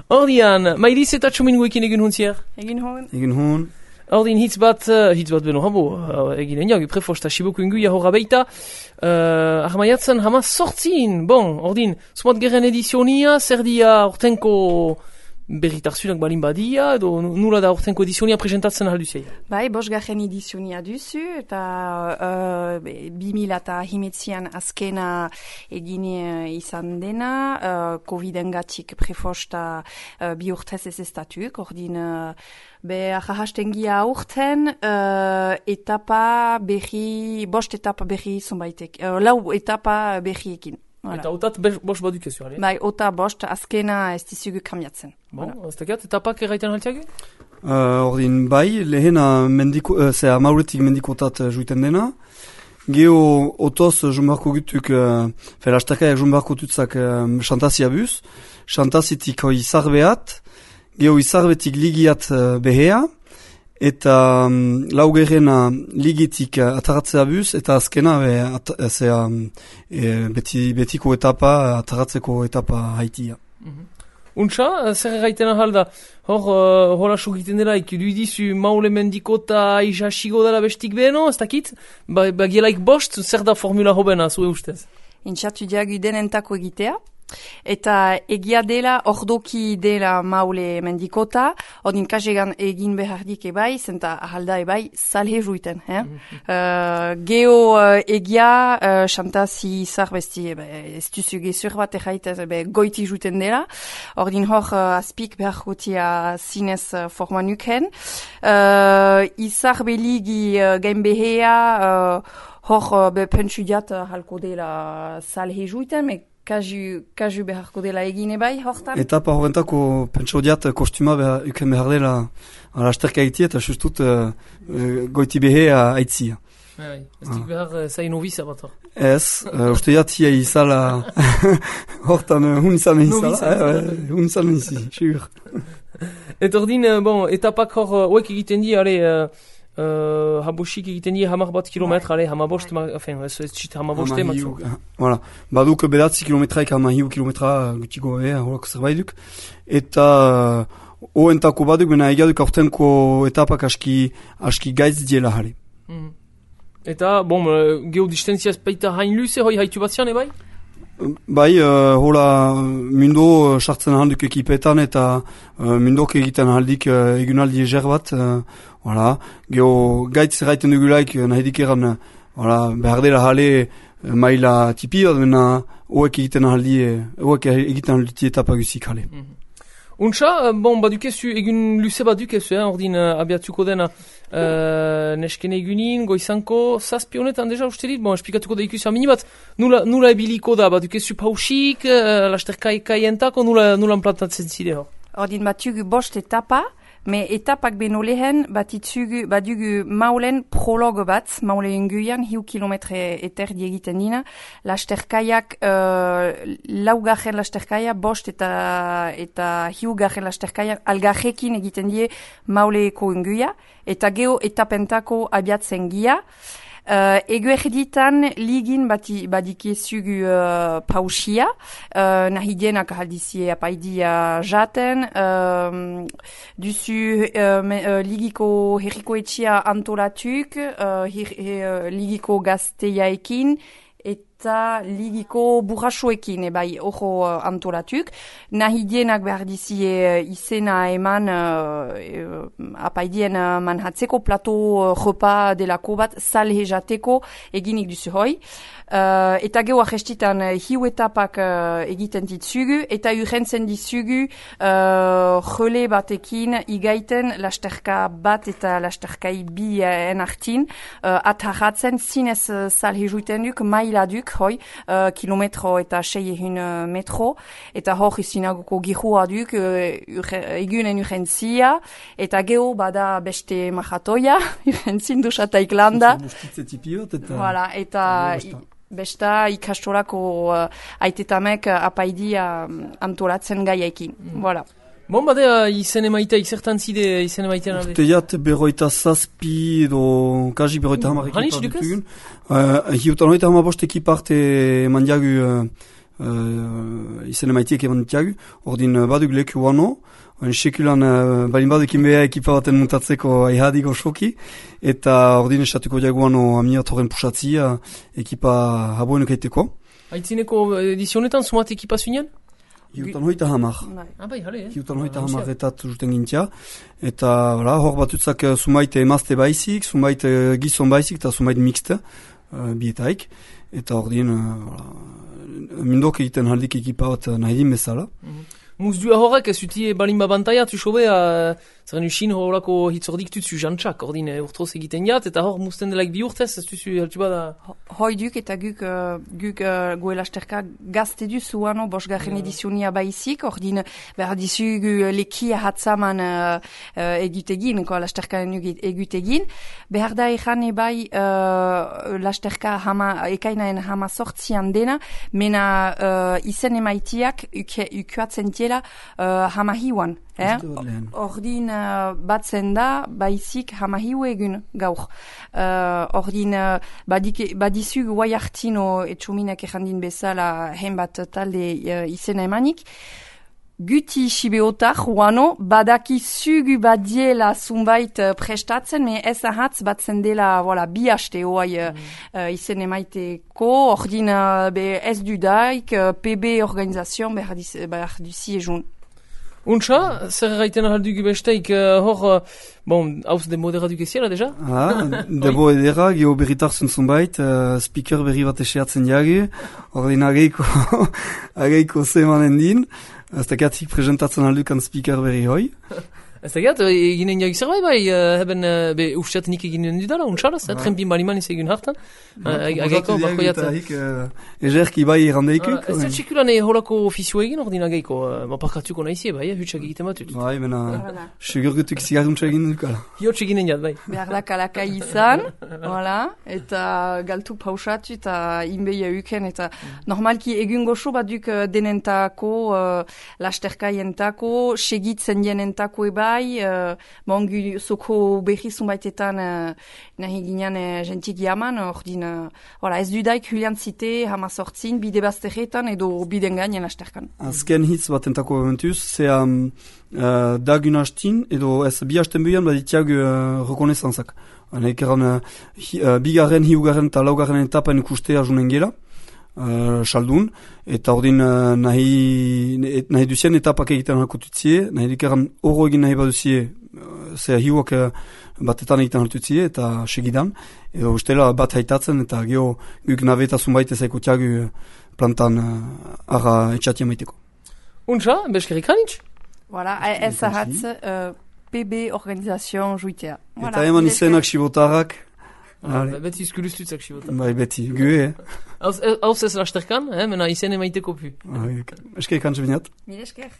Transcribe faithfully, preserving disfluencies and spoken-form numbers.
Ordian, Mairiz eta Txominguekin egin huntzier? Egin hon. Egin hon. Ordin hitz bat, uh, hitz bat beno habo, uh, egin eniak, prefosta sibuku inguia horra beita, uh, ahmaiatzen hama sortzin, bon, ordin, sumat geren edizionia, zer dia ortenko berritarzunak balin badia, edo nula da ortenko edizionia presentatzen ahalduzei? Bai, bos garen edizionia duzu, eta uh, bi mila eta himetzian azkena egin uh, izan dena, uh, COVID-engatik prefosta uh, bi urtez ez estatuk, ordin, uh, be ahastengia urten, uh, etapa berri, bost etapa berri zonbaitek, uh, lau etapa berriekin. Voilà. Eta otat bost badukezu, ale? Bai, ota bost azkena ez dizugu kamiatzen. Bon, ez tekiat, etapak erraiten haltiago? Uh, ordin, bai, lehena mendiko, uh, zera mauretik mendikotat uh, juiten dena. Geo otoz jumbarko gutuk, uh, fel astakaiak jumbarko tutzak uh, xantazia buz. Xantazitik hoi izarbeat, geo izarbetik ligiat uh, behea. Eta um, laugerena ligitik uh, ataratzea buz, eta azkena be, at, uh, zera, e, beti, betiko etapa, ataratzeko etapa haitia. Mm-hmm. Untsa, zer erraiten ahalda, hor, uh, hola sugiten dela, ikiduidizu maule mendikota isasigo dela bestik beno, ez dakit? Ba, bagielaik bost, zer da formula hobena, zue ustez? Intxatu diagu denentako egitea. Eta egia dela, ordoki dela maule mendikota, odin kasegan egin behardik ebai, zenta ahalda ebai, salhe juiten. Eh? Mm-hmm. uh, geo uh, egia, uh, xantazi izar besti, ez duzu gezur bat erraitez, goiti juiten dela, ordin hor uh, azpik behar gotia zinez uh, forma nuken. Uh, izar beligi uh, gain behea, uh, hor uh, be pentsu diat uh, halko dela salhe juiten, me Kaju, kaju beharko dela egine bai, hortan? Etapa horrentako pentsau diat kostuma behar, uken behar dela alasterka egitea eta justut uh, uh, goiti behea aitzia. Bai, ez dik behar uh, zain noviza bat hor. Ez, uh, uste jatia izala hortan uh, hun izan izala, hun izan izala, sigur. Eta ordin, uh, bon, etapak hor oek uh, egiten di, ale, uh, Uh, habosik egiten die hamar bat kilometra, ale, hamabost, enfin, ez zit hamaboste matzu. Voilà. Baduk bedatzi kilometraik hama hiu kilometra gutiko, eh, horako zerbaiduk. Eta uh, oentako baduk, bena egiaduk aurtenko etapak aski, aski gaitz diela jale. Mm. Eta, bon, uh, geodistentzia baita hain luze, hoi haitu bat zian, ebai? Bai, uh, hola, mundo sartzen uh, handuk ekipetan eta uh, mundok egiten aldik uh, egunaldi eger bat. Uh, voilà. Geo gaitz erraiten dugulaik uh, nahidik eran uh, voilà, behar dela jale uh, maila tipi bat, bena hoek egiten aldi, hoek egiten aldi etapa guzik jale. Mm-hmm. Untsa, bon, badukezu, egun luze badukezu, eh, ordin uh, abiatuko dena uh, neskene egunin, goizanko, zazpi honetan deja uste dit, bon, esplikatuko da ikusia minibat, nula, nula ebiliko da, badukezu pausik, uh, lasterkai kaientako, nula, nula plantatzen zide hor. Ordin batugu bost etapa, me etapak beno lehen batitzugu, badugu maulen prologo bat, maule inguian, hiu kilometre eterdi egiten dina, lasterkaiak, uh, laugarren lasterkaia, bost eta, eta hiu garren lasterkaia, algarrekin egiten die mauleko inguia, eta geo etapentako abiatzen gia. Uh, ego erditan ligin bati, badikezugu uh, pausia, uh, nahi dienak ahaldizie apaidia jaten, uh, duzu uh, me, uh, ligiko herriko etxia antolatuk, uh, her, her, ligiko gazteiaekin, eta ligiko burrasoekin, ebai, ojo uh, antolatuk. Nahi dienak behar dizie izena eman uh, apaidien uh, manhatzeko plato uh, repa delako bat salhe jateko eginik duzu hoi. Uh, eta geu ahestitan uh, hiu etapak uh, egiten ditzugu, eta urrentzen ditzugu uh, jole batekin igaiten lasterka bat eta lasterkai bi en artin, uh, atarratzen zinez uh, salhe juiten duk, maila duk, hoi, uh, kilometro eta sei ehun uh, metro, eta hor izinagoko gihua duk, uh, egunen urrentzia, eta geu bada beste mahatoia, urrentzin dusataik landa. Voilà, eta... Besta ikastorako uh, aitetamek uh, apaidia um, antolatzen gaiaekin. Mm. Voilà. Bon, badea, izen emaita, ikzertan zide izen emaitean alde? Teiat berroita zazpi edo kaji berroita hamar ekipar dutugun. Uh, Hiutan hoita hamabost ekiparte eman diagu uh, uh, izen emaitiek eman ditiagu, ordin uh, baduk leku wano, Oin sekulan uh, balin badekin beha ekipa baten muntatzeko aihadik osoki, eta ordin esatuko diaguano amiat horren pusatzi uh, ekipa haboenuk eiteko. Aitzineko edizionetan sumat ekipa zuinean? Hiutan hoita hamar. Ah, bai, hale, eh? Hiutan hoita hamar etat juten gintia. Eta voilà, hor batutzak uh, sumait emazte baizik, sumait uh, gizon baizik, eta sumait mixte uh, bietaik. Eta ordin, uh, voilà, mindok egiten haldik ekipa bat uh, nahi din bezala. Mm-hmm. Muzdua horrek ez uti balin babantaia tu sobe uh, zaren usin horrelako hitzordik tutsu jantxak, ordin uh, urtroz egiten jat, eta hor musten delaik bi urtez, ez tuzu haltu bada... Hoi duk eta guk, uh, guk uh, goelasterka gazte duzu ano bosgarren yeah. edizionia baizik, ordin behar dizu uh, lekia hatzaman uh, uh, egutegin, ko lasterka egutegin. Behar da egan ebai uh, lasterka hama, ekainaen hama sortzian dena, mena uh, izen emaitiak ukuatzen tiela uh, hama hiuan. Eh? Ordin uh, batzen da, baizik hamahiu egun gaur. Uh, ordin uh, badik, badizug guai hartino etxuminak errandin bezala hen bat talde uh, izena emanik. Guti sibeotar, uano, badaki zugu badiela zumbait uh, prestatzen, me ez ahatz batzen dela voilà, bi haste oai uh, mm. uh, izen emaiteko, ordin uh, be ez dudaik, uh, P B organizazioan behar duzi egun. Untsa, zer gaiten ahaldugu besteik uh, hor, uh, bon, hauz de moderaduk eziela, deja? Ah, debo edera, geho berritarzun zunbait, uh, speaker berri bat eseatzen diage, ordin ageiko, ageiko zemanen din, ez dakiatzik presentatzen aldukan speaker berri hoi. Ez dakiat, eginen diagik zerbait bai, uh, hebben, uh, be, ufsiatenik eginen dudala, untsalaz, eh, trempin baliman ez egin hartan. Ageiko, bako jatzen. Ezerki bai errandeikuk. Ez dut sekulan holako ofizio egin ordin ageiko, maparkatuko nahizie bai, hutsak egiten batut. Bai, bena, segurgutuk zigarruntza egin dukala. Hiotx eginen jat, bai. Behar da kalaka izan, voilà, eta galtu pausatu eta inbeia uken, eta normalki egun goxo baduk denentako, uh, lasterkaientako, segitzen jenentako eba, Uh, mongu soko berri zunbaitetan uh, nahi ginean uh, gentik jaman, ordin uh, voilà, ez dudaik hulian zite hama sortzin, bide bazterretan edo biden gainen asterkan. Azken hitz bat entako momentuz, zea um, uh, dagun hastin edo ez bi hasten buian baditiag uh, rekonesantzak. Ekeran uh, uh, bigarren, hiugarren eta laugarren etapan ikustea junen gela. Uh, saldun, eta ordin uh, nahi, nahi duzien etapak egiten halkotutzie, nahi dikeran oro egin nahi baduzie, uh, zera hiuak uh, batetan egiten halkotutzie, eta segidan, edo ustela bat haitatzen, eta geho guk nabeta zunbaite zaiko tiagu plantan uh, arra etxatia maiteko. Untsa, beskerik hanitz? Voilà, ez ahatz uh, P B organizazioan juitea. Voilà, eta eman izenak sibotarrak, Ah, beti izkulustutzak xibota. Bai, beti, gue, eh? Hauz ez lasterkan, eh? Mena izen emaiteko pu. Eskerik antxe binat. Mil esker.